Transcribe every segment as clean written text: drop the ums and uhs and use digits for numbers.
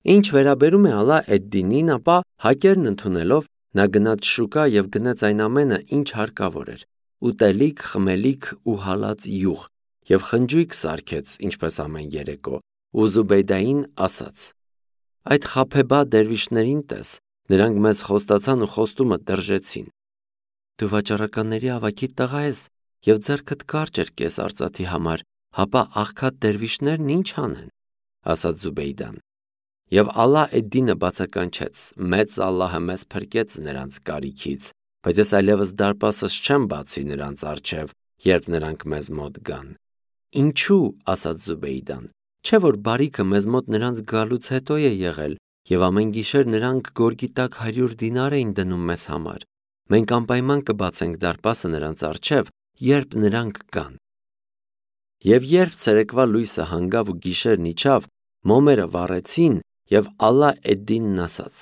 Ինչ վերաբերում է Ալա էդ-Դինին, ապա հակերն ընդունելով նա գնաց շուկա եւ գնեց այն ամենը, ինչ հարկավոր էր. ուտելիք, խմելիք ու հալած յուղ, եւ խնջույք սարքեց, ինչպես ամեն երեկո, ու Զուբեյդային ասաց. այդ խաբեբա դերվիշներին տես, նրանք մեզ խոստացան ու խոստումը դրժեցին. դու վաճառականների ավագի տղա ես եւ ձեռքդ կարճ էր կես արծաթի համար, հապա աղքատ դերվիշներն ինչ անեն, ասաց Զուբեյդան. եւ Ալա էդ-Դինը բացականչեց. մեծ Ալլահը մեզ փրկեց նրանց կարիքից, բայց ես այլևս դարպասս չեմ բացի նրանց առջև, երբ նրանք մեզ մոտ գան. ինչու, ասաց Զուբեյդան, չէ որ բարիքը մեզ մոտ նրանց գալուց հետո է եղել, եւ ամեն գիշեր նրանք գորգի տակ 100 դինար էին դնում մեզ համար. մենք անպայման կբացենք դարպասը նրանց առջև, երբ նրանք գան. Եվ երբ ցերեկվա լույսը հանգավ ու գիշերն իջավ, մոմերը վառեցին, եւ Ալա էդ-Դինն ասաց.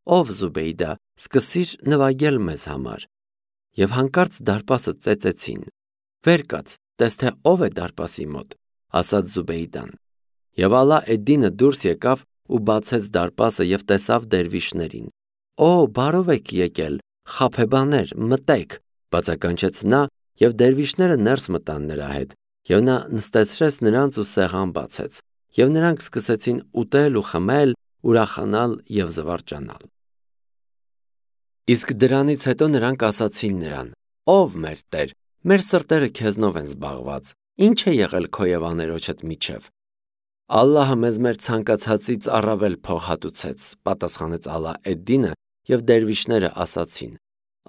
ով Զուբեյդա, սկսիր նվագել մեզ համար. եւ հանկարծ դարպասը ծեծեցին. վեր կաց, տես թե ով է դարպասի մոտ, ասաց Զուբեյդան. եւ Ալա էդ-Դինը դուրս եկավ ու բացեց դարպասը եւ տեսավ դերվիշներին. Օ, բարով եք եկել, խաբեբաներ, մտեք, բացականչեց նա, եւ դերվիշները ներս մտան նրա հետ, եւ նա նստեցրեց նրանց ու սեղան բացեց, եւ նրանք սկսեցին ուտել ու խմել, ուրախանալ եւ զվարճանալ. Իսկ դրանից հետո նրանք ասացին նրան. ով մեր Տեր, մեր սրտերը քեզնով են զբաղված, ինչ է եղել քո եւ աներոջդ միջև. Ալլահը մեզ մեր ցանկացածից առավել փող հատուցեց, պատասխանեց Ալա էդ-Դինը, եւ դերվիշները ասացին.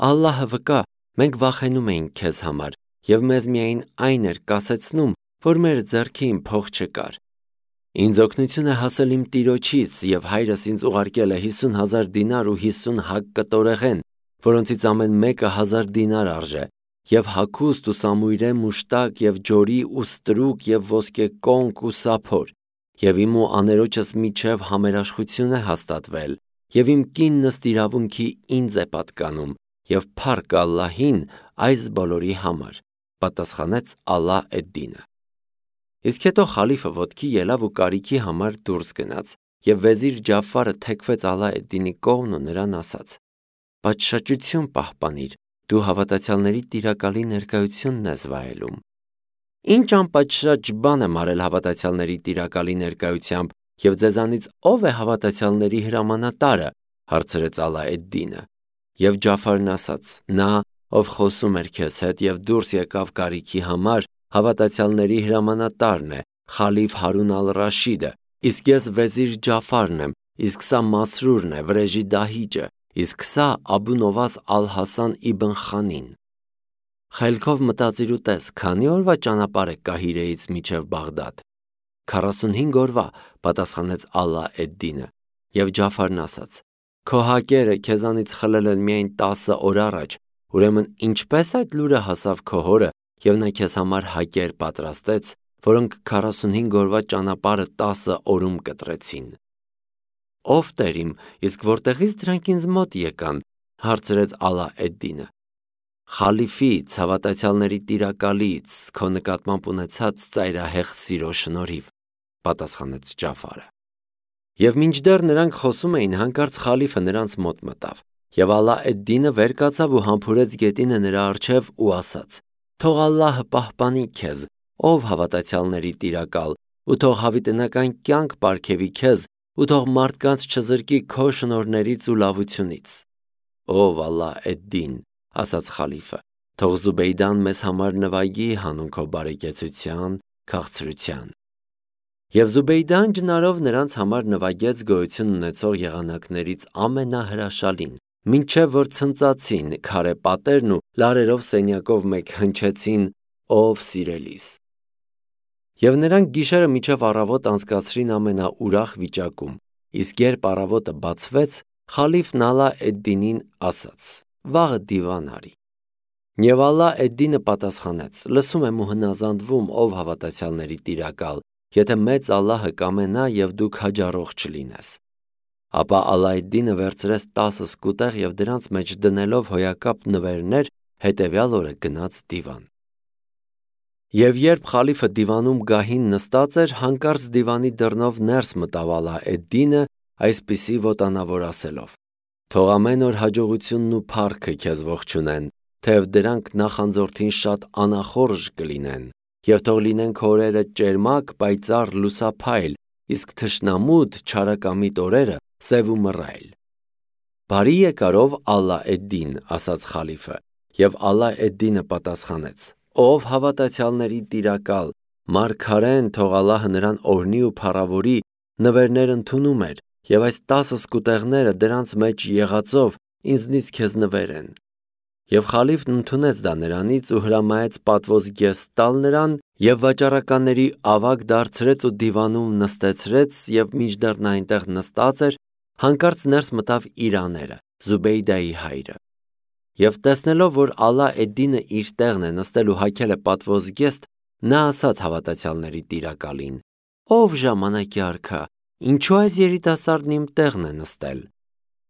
Ալլահը վկա, մենք վախենում էինք քեզ համար, եւ մեզ միայն այն էր կասեցնում, որ մեր ձեռքին փող չկար. ինձ օգնություն է հասել իմ տիրոջից, եւ հայրս ինձ ուղարկել է 50,000 դինար ու 50 հակ կտորեղեն, որոնցից ամեն մեկը 1000 դինար արժե, եւ հագուստ ու սամույրե մուշտակ եւ ջորի ու ստրուկ եւ ոսկե կոնք ու սափոր, եւ իմ ու աներոջս միջև համերաշխություն է հաստատվել, եւ իմ կիննս իրավունքի ինձ է պատկանում, եւ փառք Ալլահին այս բոլորի համար, պատասխանեց Ալա էդ-Դինը. Իսկ հետո խալիֆը ոտքի ելավ ու կարիքի համար դուրս գնաց, եւ վեզիր Ջաֆարը թեքվեց Ալա էդ-Դինի կողմն ու նրան ասաց. պատշաճություն պահպանիր, դու հավատացյալների տիրակալի ներկայությունն ես վայելում. Ինչ անպատշաճ բան եմ արել հավատացյալների տիրակալի ներկայությամբ, եւ ձեզանից ով է հավատացյալների հրամանատարը, հարցրեց Ալա էդ-Դինը. եւ Ջաֆարն ասաց. նա, ով խոսում էր քեզ հետ եւ դուրս եկավ կարիքի համար, հավատացյալների հրամանատարն է, խալիֆ Հարուն ալ-Ռաշիդը, իսկ ես վեզիր Ջաֆարն եմ, իսկ սա Մասրուրն է, վրեժի դահիճը, իսկ սա Աբու Նովաս ալ-Հասան իբն Խանին. խելքով մտածիր ու տես, քանի օրվա ճանապարհ է Կահիրեից մինչև Բաղդադ. 45 օրվա, պատասխանեց Ալա էդ-Դինը, եւ Ջաֆարն ասաց. քո հակերը քեզանից խլել են միայն 10 օր առաջ, ուրեմն ինչպես այդ լուրը հասավ քո հորը, եւ նա քեզ համար հակեր պատրաստեց, որոնք 45 օրվա ճանապարհը 10 օրում կտրեցին. ով Տեր իմ, իսկ որտեղից դրանք ինձ մոտ եկան, հարցրեց Ալա էդ-Դինը. խալիֆից, հավատացյալների տիրակալից, քո նկատմամբ ունեցած ծայրահեղ սիրո շնորհիվ, պատասխանեց Ջաֆարը. Եվ մինչդեռ նրանք խոսում էին, հանկարծ խալիֆը նրանց մոտ մտավ, եւ Ալա էդ-Դինը վեր կացավ ու համբուրեց գետինը նրա առջև ու ասաց. թող Ալլահը պահպանի քեզ, ով հավատացյալների տիրակալ, ու թող հավիտենական կյանք պարգևի քեզ, ու թող մարդկանց չզրկի քո շնորհներից ու լավությունից. ով Ալա էդ-Դին, ասաց խալիֆը, թող Զուբեյդան մեզ համար նվագի հանուն քո բարեկեցության, քաղցրության. Եվ Զուբեյդան ջնարով նրանց համար նվագեց գոյություն ունեցող եղանակներից ամենահրաշալին, մինչև որ ցնծացին քարե պատերն ու լարերով սենյակով մեկ հնչեցին ով սիրելիս. Եվ նրանք գիշերը մինչև առավոտ անցկացրին ամենաուրախ վիճակում, իսկ երբ առավոտը բացվեց, խալիֆն Ալա էդ-Դինին ասաց. վաղը դիվան արի. Եվ Ալա էդ-Դինը պատասխանեց. լսում եմ ու հնազանդվում, ով հավատացյալների տիրակալ, եթե մեծ Ալլահը կամենա եւ դու քաջառող չլինես. Ապա Ալա էդ-Դինը վերցրեց 10 սկուտեղ եւ դրանց մեջ դնելով հոյակապ նվերներ, հետեւյալ օրը գնաց դիվան. Եվ երբ խալիֆը դիվանում գահին նստած էր, հանկարծ դիվանի դռնով ներս մտավ Ալա էդ-Դինը, այսպիսի ոտանավոր ասելով. «Թող ամեն օր հաջողությունն ու փառքը քեզ ողջունեն, թեև դրանք նախանձորդին շատ անախորժ կլինեն, և թող լինեն քո օրերը ճերմակ, պայծառ, լուսափայլ, իսկ թշնամուդ չարակամիտ օրերը սև ու մռայլ»։ «Բարի եկարով Ալլա էդ-Դին», ասաց խալիֆը, և Ալլա էդ-Դինը պատասխանեց. «Ով հավատացյալների տիրակալ, մարգարեն, թող Ալլահը նրան օրհնի ու փառավորի, նվերներ ընդունում էր, և այս 10 սկուտեղները դրանց մեջ եղածով ինձնից քեզ նվեր են»։ Եվ խալիֆն ընդունեց դա նրանից ու հրամայեց պատվոզգեստ տալ նրան և վաճառականների ավագ դարձրեց ու դիվանում նստեցրեց, և մինչդեռ նա այնտեղ նստած էր, հանկարծ ներս մտավ իր աները, Զուբեյդայի հայրը։ Եվ տեսնելով, որ Ալլա էդ-Դինը իր տեղն է նստել ու հագել է պատվոզգեստ, նա ասաց հավատացյալների տիրակալին. «Ով ժամանակի արքա, ինչու այս երիտասարդն իմ տեղն է նստել»։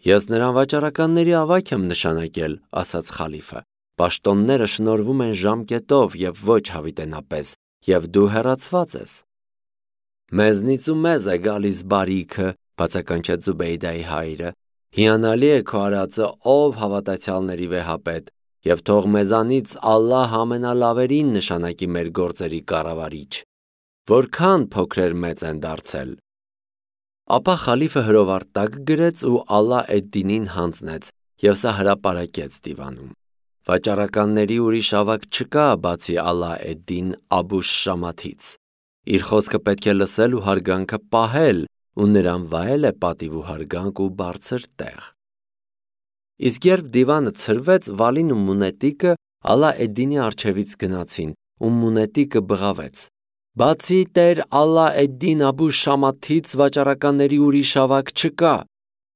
«Ես նրան վաճառականների ավագ եմ նշանակել», ասաց խալիֆը։ «Պաշտոնները շնորհվում են ժամկետով և ոչ հավիտենապես, և դու հեռացված ես»։ «Մեզնից ու մեզ է գալիս բարիքը», բացականչեց Զուբեյդայի հայրը։ «Հիանալի է քո արածը, ով հավատացյալների վեհապետ, և թող մեզանից Ալլահ ամենալավերին նշանակի մեր գործերի կառավարիչ։ Որքան փոքրեր մեծ են դարձել»։ Ապա խալիֆը հրովարտակ գրեց ու Ալլա էդ-Դինին հանձնեց, և սա հրապարակեց դիվանում։ Վաճառականների ուրիշ ավագ չկա, բացի Ալլա էդ-Դին Աբու Շամաթից։ Իր խոսքը պետք է լսել ու հարգանքը պահել, ու նրան վայել է պատիվ ու հարգանք ու բարձր տեղ։ Իսկ երբ դիվանը ցրվեց, Վալին ու Մունետիկը Ալլա էդ-Դինի առջևից գնացին, ու Մունետիկը բղավեց. «Բացի տեր Ալլա էդ-Դին Աբու Շամաթից վաճառականների ուրիշ ավագ չկա»։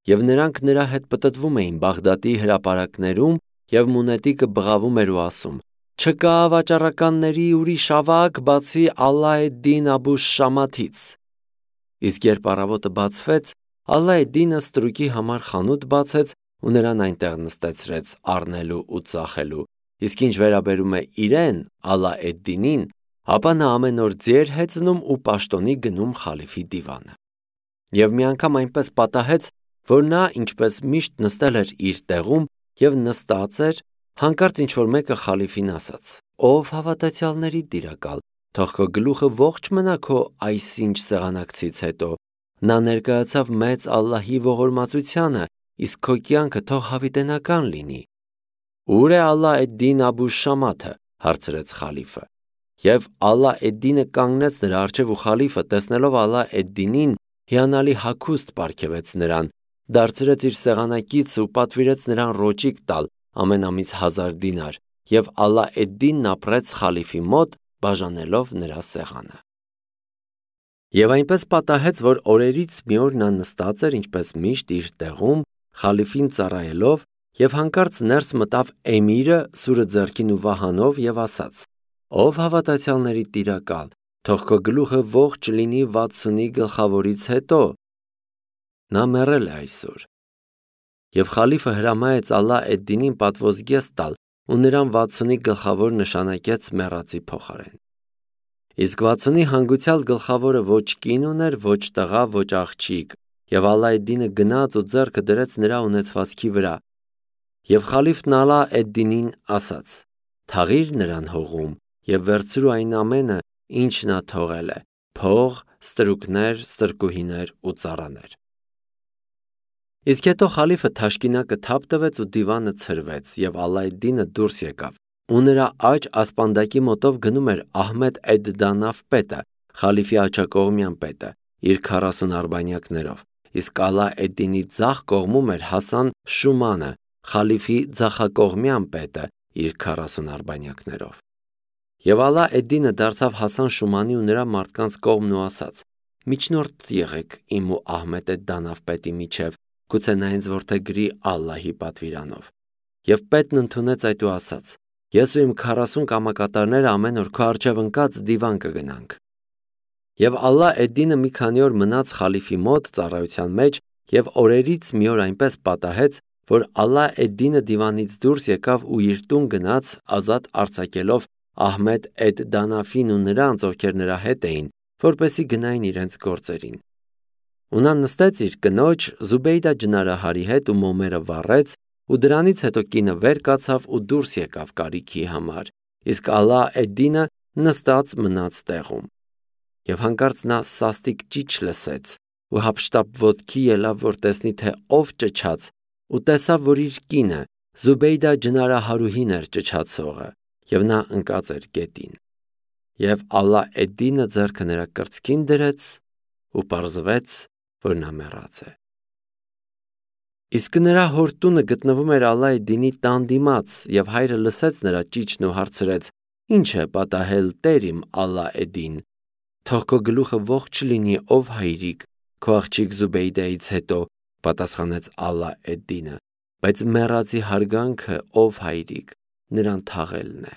Եվ նրանք նրա հետ պտտվում էին Բաղդադի հրապարակներում, և Մունետիկը բղավում էր ու ասում. «Չկա վաճառականների ուրիշ ավագ, բացի Ալլա էդ-Դին Աբու Շամաթից»։ Իսկ երբ առավոտը բացվեց, Ալլա էդ-Դինը ստրուկի համար խանութ բացեց ու նրան այնտեղ նստեցրեց առնելու ու ծախելու, իսկ ինչ վերաբերում է իրեն՝ Ալլա էդ-Դինին, ապա նա ամեն օր ձիեր հեծնում ու պաշտոնի գնում խալիֆի դիվանը։ Եվ մի անգամ այնպես պատահեց, որ նա, ինչպես միշտ, նստել էր իր տեղում և նստած էր, հանկարծ ինչ-որ մեկը խալիֆին ասաց. «Ով հավատացյալների տիրակալ, թող քո գլուխը ողջ մնա քո այսինչ սեղանակցից հետո։ Նա ներկայացավ մեծ Ալլահի ողորմածությանը, իսկ քո կյանքը թող հավիտենական լինի»։ «Ո՞ւր է Ալլա էդ-Դին Աբու Շամաթը», հարցրեց խալիֆը։ Եվ Ալլա էդ-Դինը կանգնեց նրա առջև ու խալիֆը, տեսնելով Ալլա էդ-Դինին, հիանալի հագուստ պարգևեց նրան, դարձրեց իր սեղանակից ու պատվիրեց նրան ռոճիկ տալ ամեն ամիս 1000 դինար, և Ալլա էդ-Դինն ապրեց խալիֆի մոտ, բաժանելով նրա սեղանը։ Եվ այնպես պատահեց, որ օրերից մի օր նա նստած էր, ինչպես միշտ, իր տեղում, խալիֆին ծառայելով, և հանկարծ ներս մտավ էմիրը սուրը ձեռքին ու վահանով և ասաց. «Ով հավատացյալների տիրակալ, թող քո գլուխը ողջ լինի 60-ի գլխավորից հետո. նա մեռել է այսօր»։ Եվ խալիֆը հրամայեց Ալլա էդ-Դինին պատվոզգեստ տալ ու նրան 60-ի գլխավոր նշանակեց մեռածի փոխարեն։ Իսկ 60-ի հանգուցյալ գլխավորը ոչ կին ուներ, ոչ տղա, ոչ աղջիկ, և Ալլա էդ-Դինը գնաց ու ձեռքը դրեց նրա ունեցվածքի վրա։ Եվ խալիֆն Ալլա էդ-Դինին ասաց. «Թաղիր նրան հողում և վերցրու այն ամենը, ինչ նա թողել է՝ փող, ստրուկներ, ստրկուհիներ ու ծառաներ»։ Իսկ հետո խալիֆը թաշկինակը թափ տվեց ու դիվանը ցրվեց, և Ալլա էդ-Դինը դուրս եկավ, ու նրա աջ ասպանդակի մոտով գնում էր Ահմեդ էդ-Դանաֆ պետը, խալիֆի աջակողմյան պետը, իր 40 արբանյակներով, իսկ Ալլա էդ-Դինի ձախ կողմում էր Հասան Շումանը, խալիֆի ձախակողմյան պետը, իր 40 արբանյակներով։ Եվ Ալլա էդ-Դինը դարձավ Հասան Շումանի ու նրա մարդկանց կողմն ու ասաց. «Միջնորդ եղեք իմ ու Ահմեդ էդ-Դանաֆ պետի միջև, գուցե նա ինձ որդեգրի Ալլահի պատվիրանով»։ Եվ պետն ընդունեց այդ ու ասաց. «Ես ու իմ 40 կամակատարները ամեն օր քո առջև ընկած դիվան կգնանք»։ Եվ Ալլա էդ-Դինը մի քանի օր մնաց խալիֆի մոտ ծառայության մեջ, և օրերից մի օր այնպես պատահեց, որ Ալլա էդ-Դինը դիվանից դուրս եկավ ու իր տուն գնաց, ազատ արձակելով Ահմեդ էդ-Դանաֆին ու նրանց, ովքեր նրա հետ էին, որպեսզի գնային իրենց գործերին։ ու նա նստեց իր կնոջ Զուբեյդա ջնարահարի հետ ու մոմերը վառեց, ու դրանից հետո կինը վեր կացավ ու դուրս եկավ կարիքի համար, իսկ Ալա Էդ-Դինը նստած մնաց տեղում։ Եվ հանկարծ նա սաստիկ ճիչ լսեց ու հափշտապ ոտքի ելավ, որ տեսնի, թե ով ճչաց, ու տեսավ, որ իր կինը Զուբեյդա ջնարահարուհին էր ճչացողը, եւ նա ընկած էր գետին։ Եվ Ալա Էդ-Դինը ձեռքը նրա կրծքին դրեց ու պարզվեց, որ նա մեռած է։ Իսկ նրա հոր տունը գտնվում էր Ալա Էդ-Դինի տան դիմաց, եւ հայրը լսեց նրա ճիչն ու հարցրեց. «Ինչ է պատահել, տեր իմ Ալա Էդ-Դին, թող քո գլուխը ողջ լինի, ով հայրիկ, քո աղջիկ Զուբեյդայից հետո», պատասխանեց Ալա Էդ-Դինը, բայց մեռածի հարգանքը, ով հայրիկ, նրան թաղելն է։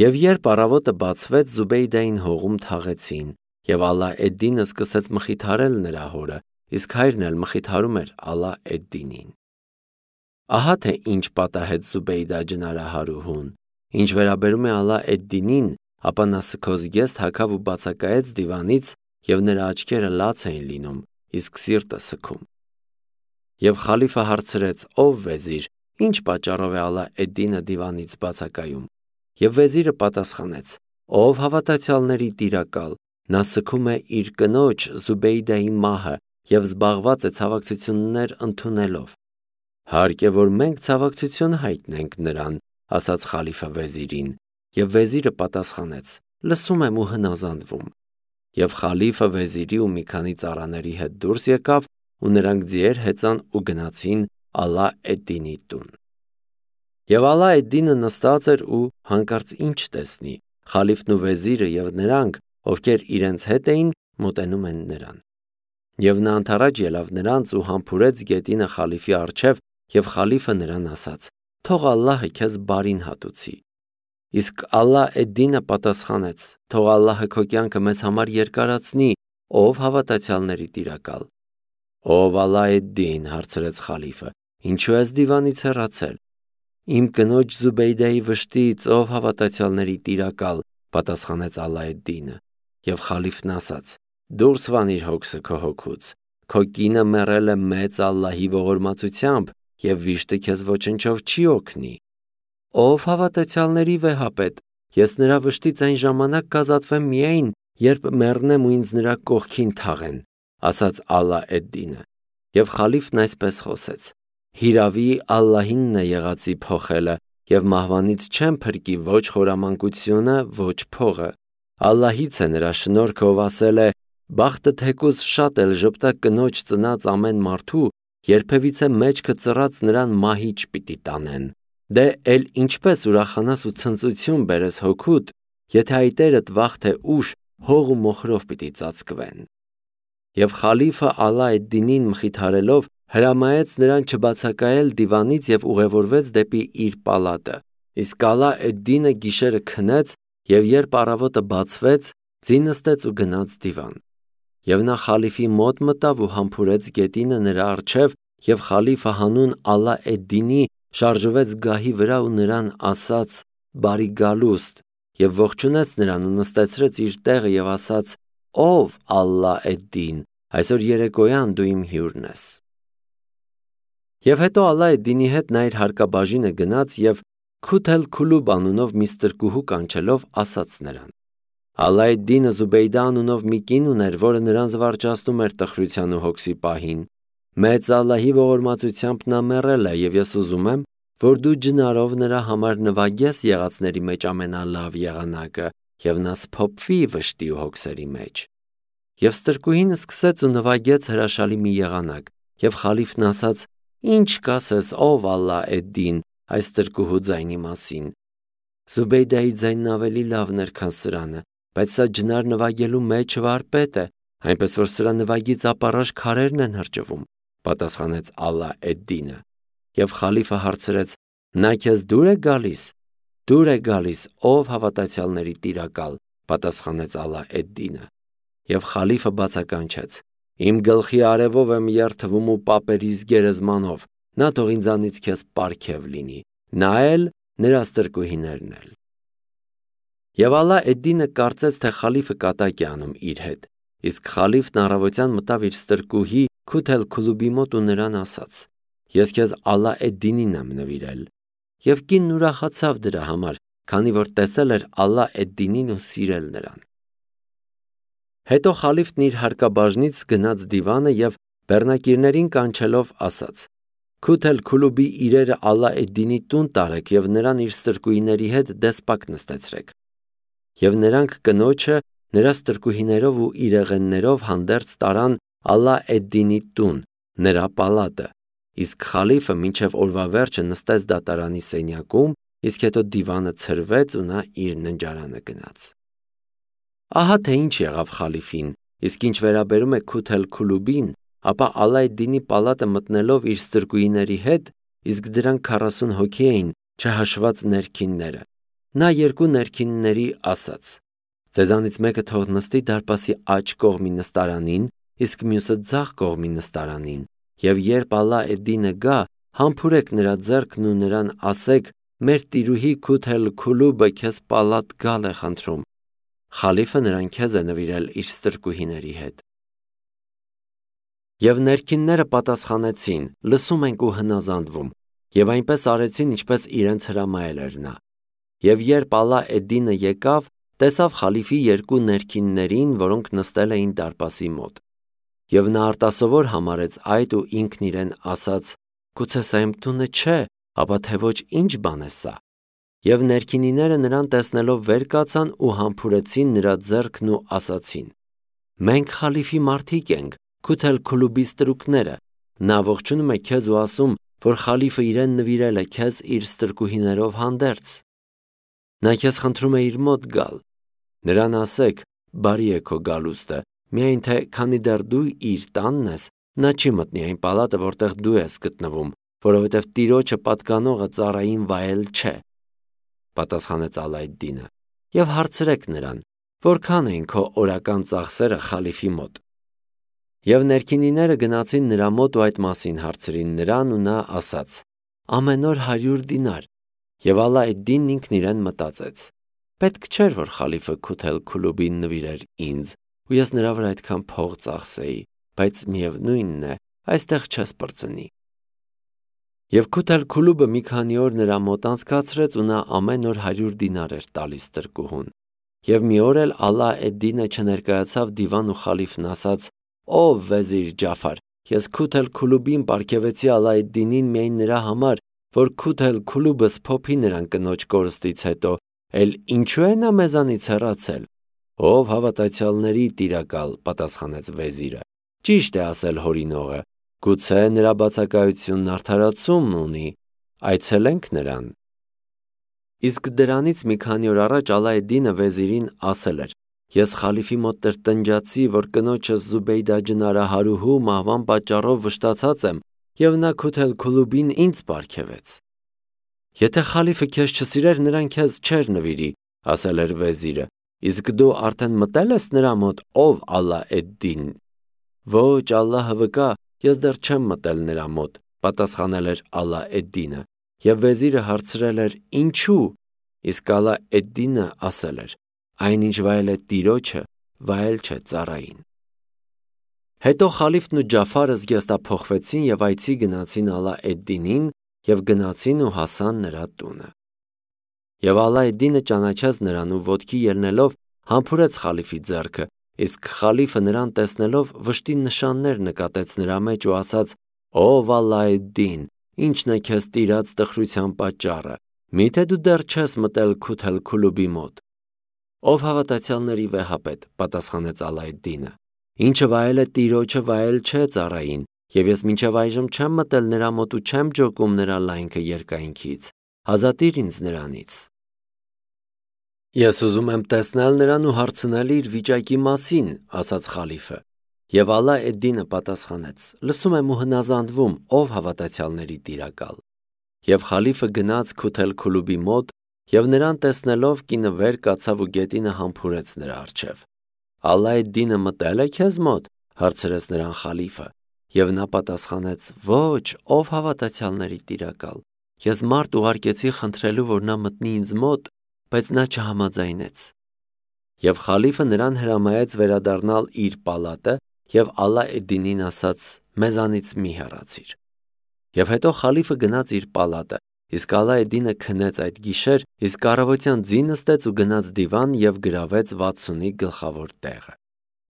Եվ երբ առավոտը բացվեց, Զուբեյդային հողում թաղեցին, եւ Ալա Էդ-Դինը սկսեց մխիթարել նրա հորը, իսկ հայրն էլ մխիթարում էր Ալա Էդ-Դինին։ Ահա թե ինչ պատահեց Զուբեյդա ջնարահարուհուն։ Ինչ վերաբերում է Ալա Էդ-Դինին, ապա նա սքոզգեստ հագավ ու բացակայեց դիվանից, եւ նրա աչքերը լաց էին լինում, իսկ սիրտը սգում։ Եվ խալիֆը հարցրեց. «Ով վեզիր, ինչ պատճառով է Ալա Էդ-Դինը դիվանից բացակայում»։ Եվ վեզիրը պատասխանեց. «Ով հավատացյալների տիրակալ, նա սգում է իր կնոջ Զուբեյդայի մահը եւ զբաղված է ցավակցություններ ընդունելով»։ «Հարկ է, որ մենք ցավակցություն հայտնենք նրան», ասաց խալիֆը վեզիրին, եւ վեզիրը պատասխանեց. «Լսում եմ ու հնազանդվում»։ Եվ խալիֆը վեզիրի ու մի քանի ծառաների հետ դուրս եկավ, ու նրանք ձիեր հեծան ու գնացին Ալա Էդ-Դինի տուն։ Եվ Ալա Էդ-Դինը նստած էր ու հանկարծ ինչ տեսնի, խալիֆն ու վեզիրը եւ նրանք, ովքեր իրենց հետ էին, մոտենում են նրան։ Եվ նա անթառաջ ելավ նրանց ու համբուրեց գետինը խալիֆի առջև, եւ խալիֆը նրան ասաց. «Թող Ալլահը քեզ բարին հատուցի»։ Իսկ Ալա Էդ-Դինը պատասխանեց. «Թող Ալլահը քո կյանքը մեզ համար երկարացնի, ով հավատացյալների տիրակալ»։ «Ով Ալա Էդ-Դին», հարցրեց խալիֆը, «ինչու ես դիվանից հեռացել»։ «Իմ կնոջ Զուբեյդայի վշտից, ով հավատացյալների տիրակալ», պատասխանեց Ալա Էդ-Դինը։ Եվ խալիֆն ասաց. «Դուրս վանիր հոգսը քո հոգուց, քո կինը մեռել է մեծ Ալլահի ողորմածությամբ, եւ վիշտը քեզ ոչնչով չի օգնի»։ «Ով հավատացյալների վեհապետ, ես նրա վշտից այն ժամանակ կազատվեմ միայն, երբ մեռնեմ ու ինձ նրա կողքին թաղեն», ասաց Ալա Էդ-Դինը։ Եվ խալիֆն այսպես խոսեց. «Հիրավի Ալլահինն է եղածի փոխելը, եւ մահվանից չեմ փրկի ոչ խորամանկությունը, ոչ փողը։ Ալլահից է նրա շնորհքը, ով ասել է. «Բախտը թեկուզ շատ էլ ժպտա կնոջ ծնած ամեն մարդու, երբևիցե մեջքը ծռած նրան մահիճ պիտի տանեն»։ Դե էլ ինչպես ուրախանաս ու ցնծություն բերես հոգուդ, եթե այտերդ վաղ թե ուշ հող ու մոխրով պիտի ծածկվեն։ Եվ խալիֆը Ալա Էդ-Դինին մխիթարելով հրամայեց նրան չբացակայել դիվանից եւ ուղևորվեց դեպի իր պալատը։ Իսկ Ալա Էդ-Դինը գիշերը քնեց եւ երբ առավոտը բացվեց, ձի նստեց ու գնաց դիվան։ Եվ նա խալիֆի մոտ մտավ ու համբուրեց գետինը նրա առջև, եւ խալիֆը հանուն Ալա Էդ-Դինի շարժվեց գահի վրա ու նրան ասաց. «Բարի գալուստ», եւ ողջունեց նրան ու նստեցրեց իր տեղը եւ ասաց. «Ով Ալա Էդ-Դին, այսօր երեկոյան դու իմ հյուրն ես»։ Եվ հետո Ալա Էդ-Դինի հետ նա իր հարկաբաժինը գնաց եւ Քութ Քուլուբ անունով մի ստրկուհու կանչելով ասաց նրան. Ալա Էդ-Դինը Զուբեյդա անունով մի կին ուներ, որը նրան զվարճացնում էր տխրության ու հոգսի պահին։ Մեծ Ալլահի ողորմածությամբ նա մեռել է, եւ ես ուզում եմ, որ դու ջնարով նրա համար նվագես եղածների մեջ ամենալավ եղանակը, եւ նա սփոփվի վշտի ու հոգսերի մեջ։ Եվ ստրկուհին սկսեց ու նվագեց հրաշալի մի եղանակ, եւ խալիֆն ասաց. «Ինչ կասես, ով Ալա Էդ-Դին, այս ստրկուհու ձայնի մասին»։ Զուբեյդայի ձայնն ավելի լավն էր, քան սրանը, բայց սա ջնար նվագելու մեջ վարպետ է, այնպես որ սրա նվագից ապառաժ քարերն են հրճվում, պատասխանեց Ալա Էդ-Դինը։ Եվ խալիֆը հարցրեց. «Նա քեզ դուր է գալիս»։ «Դուր է գալիս, ով հավատացյալների տիրակալ», պատասխանեց Ալա Էդ-Դինը։ Եվ խալիֆը բացականչեց. «Իմ գլխի արևով եմ երթվում ու պապերիս գերեզմանով, նա թող ինձանից քեզ պարգև լինի, նա էլ նրա ստրկուհիներն էլ»։ Եվ Ալա Էդ-Դինը կարծեց, թե խալիֆը կատակ է անում իր հետ, Իսկ խալիֆն առավոտյան մտավ իր ստրկուհի Քութ էլ-Քուլուբի մոտ ու նրան ասաց. «Ես քեզ Ալլա էդ-Դինին եմ նվիրել»։ Եվ կինն ուրախացավ դրա համար, քանի որ տեսել էր Ալլա էդ-Դինին ու սիրել նրան։ Հետո խալիֆն իր հարկաբաժնից գնաց դիվանը եւ բեռնակիրներին կանչելով ասաց. «Քութ էլ-Քուլուբի իրերը Ալլա էդ-Դինի տուն տարեք եւ նրան իր ստրկուհիների հետ դեսպակ նստեցրեք»։ Եվ նրանք կնոջը նրա ստրկուհիներով ու իրեղեններով հանդերձ տարան Ալլա էդ-Դինի տուն, նրա պալատը, իսկ խալիֆը մինչև օրվա վերջը նստեց դատարանի սենյակում, իսկ հետո դիվանը ցրվեց ու նա իր ննջարանը գնաց։ Ահա թե ինչ եղավ խալիֆին, իսկ ինչ վերաբերում է Քութ էլ-Քուլուբին, ապա Ալլա էդ-Դինի պալատը մտնելով իր ստրկուհիների հետ, իսկ դրանք 40 հոգի էին, չհաշված ներքինները, նա երկու ներքինների ասաց. «Ձեզանից մեկը թող նստի դարպասի աջ կողմի նստարանին, իսկ մյուսը ձախ կողմի նստարանին, եւ երբ Ալլա էդ-Դինը գա, համբուրեք նրա ձեռքն ու նրան ասեք. մեր տիրուհի Քութ էլ-Քուլուբը քեզ պալատ գալ է խնդրում. խալիֆը նրան քեզ է նվիրել իր ստրկուհիների հետ»։ Եվ ներքինները պատասխանեցին. «Լսում ենք ու հնազանդվում», եւ այնպես արեցին, ինչպես իրենց հրամայել էր նա։ Եվ երբ Ալլա էդ-Դինը եկավ, տեսավ խալիֆի երկու ներքիններին, որոնք նստել էին դարպասի մոտ։ Եվ նա արտասովոր համարեց այդ ու ինքն իրեն ասաց. «Գուցե սա իմ տունը չէ, ապա թե ոչ ինչ բան է սա»։ Եվ ներքինիները նրան տեսնելով վեր կացան ու համբուրեցին նրա ձեռքն ու ասացին. «Մենք խալիֆի մարդիկ ենք, Քութ էլ-Քուլուբի ստրուկները, նա ողջունում է քեզ ու ասում, որ խալիֆը իրեն նվիրել է քեզ իր ստրկուհիներով հանդերձ։ Նա քեզ խնդրում է իր մոտ գալ։ Նրան ասեք. բարի է քո գալուստը, միայն թե քանի դեռ դու իր տանն ես, նա չի մտնի այն պալատը, որտեղ դու ես գտնվում, որովհետև տիրոջը պատկանողը ծառային վայել չէ»։ Պատասխանեց Ալլա էդ-Դինը. «Եվ հարցրեք նրան, որքան էին քո օրական ծախսերը խալիֆի մոտ»։ Եվ ներքինիները գնացին նրա մոտ ու այդ մասին հարցրին նրան ու նա ասաց. «Ամեն օր 100 դինար»։ Եվ Ալլա էդ-Դինն ինքն իրեն մտածեց. «Պետք չէր, որ խալիֆը Քութ էլ-Քուլուբին նվիրեր ինձ, ու ես նրա վրա այդքան փող ծախսեի, բայց միևնույնն է, այստեղ չես պրծնի»։ Եվ Քութ էլ-Քուլուբը մի քանի օր նրա մոտ անցկացրեց ու նա ամեն օր 100 դինար էր տալիս ստրկուհուն։ Եվ մի օր էլ Ալլա էդ-Դինը չներկայացավ դիվան ու խալիֆն ասաց. «Ով վեզիր Ջաֆար, ես Քութ էլ-Քուլուբին պարգևեցի Ալլա էդ-Դինին միայն նրա համար, որ Քութ էլ-Քուլուբը սփոփի նրան կնոջ կորստից հետո, էլ ինչու է նա մեզանից հեռացել»։ «Ով հավատացյալների տիրակալ», պատասխանեց վեզիրը, «ճիշտ է ասել հորինողը, գուցե նրա բացակայությունն արդարացում ունի, այցելենք նրան»։ Իսկ դրանից մի քանի օր առաջ Ալլա էդ-Դինը վեզիրին ասել էր. «Ես խալիֆի մոտ տրտնջացի, որ կնոջս Զուբեյդա ջնարահարուհու մահվան պատճառով վշտացած եմ, եւ նա Քութ էլ-Քուլուբին ինձ պարգևեց»։ «Եթե խալիֆը քեզ չսիրեր, նրան քեզ չէր նվիրի», ասել էր վեզիրը, «իսկ դու արդեն մտել ես նրա մոտ, ով Ալլա էդ-Դին»։ «Ոչ, Ալլահը վկա, ես դեռ չեմ մտել նրա մոտ», պատասխանել էր Ալլա էդ-Դինը, եւ վեզիրը հարցրել էր. «Ինչու»։ Իսկ Ալլա էդ-Դինը ասել էր. «Այնինչ վայել է տիրոջը, վայել չէ ծառային»։ Հետո խալիֆն ու Ջաֆարը զգեստափոխվեցին եւ այցի գնացին Ալլա էդ-Դինին եւ գնացին ու հասան նրա տունը։ Եվ Ալլա էդ-Դինը ճանաչեց նրան ու ոտքի ելնելով համբուրեց խալիֆի ձեռքը, իսկ խալիֆը նրան տեսնելով վշտի նշաններ նկատեց նրա մեջ ու ասաց. «Ով Ալլա էդ-Դին, ի՞նչն է քեզ տիրած տխրության պատճառը, միթե դու դեռ չես մտել Քութ էլ-Քուլուբի մոտ»։ «Ով հավատացյալների վեհապետ», պատասխանեց Ալլա էդ-Դինը, «ինչը վայել է տիրոջը, վայել չէ ծառային, եւ ես մինչև այժմ չեմ մտել նրա մոտ ու չեմ ջոկում նրա լայնքը երկայնքից, ազատիր ինձ նրանից»։ «Ես ուզում եմ տեսնել նրան ու հարցնել իր վիճակի մասին», ասաց խալիֆը։ Եվ Ալլա էդ-Դինը պատասխանեց. «Լսում եմ ու հնազանդվում, ով հավատացյալների տիրակալ»։ Եվ խալիֆը գնաց Քութ էլ-Քուլուբի մոտ եւ նրան տեսնելով կինը վեր կացավ ու գետինը համբուրեց նրա առջև։ «Ալլա էդ-Դինը մտել է քեզ մոտ», հարցրեց նրան խալիֆը, եւ նա պատասխանեց. «Ոչ, ով հավատացյալների տիրակալ, ես մարդ ուղարկեցի խնդրելու, որ նա մտնի ինձ մոտ, բայց նա չհամաձայնեց»։ Եվ խալիֆը նրան հրամայեց վերադառնալ իր պալատը և Ալա էդ-Դինին ասաց. «Մեզանից մի հեռացիր»։ Եվ հետո խալիֆը գնաց իր պալատը, իսկ Ալա էդ-Դինը քնեց այդ գիշեր, իսկ առավոտյան ձի նստեց ու գնաց դիվան և գրավեց 60-ի գլխավոր տեղը։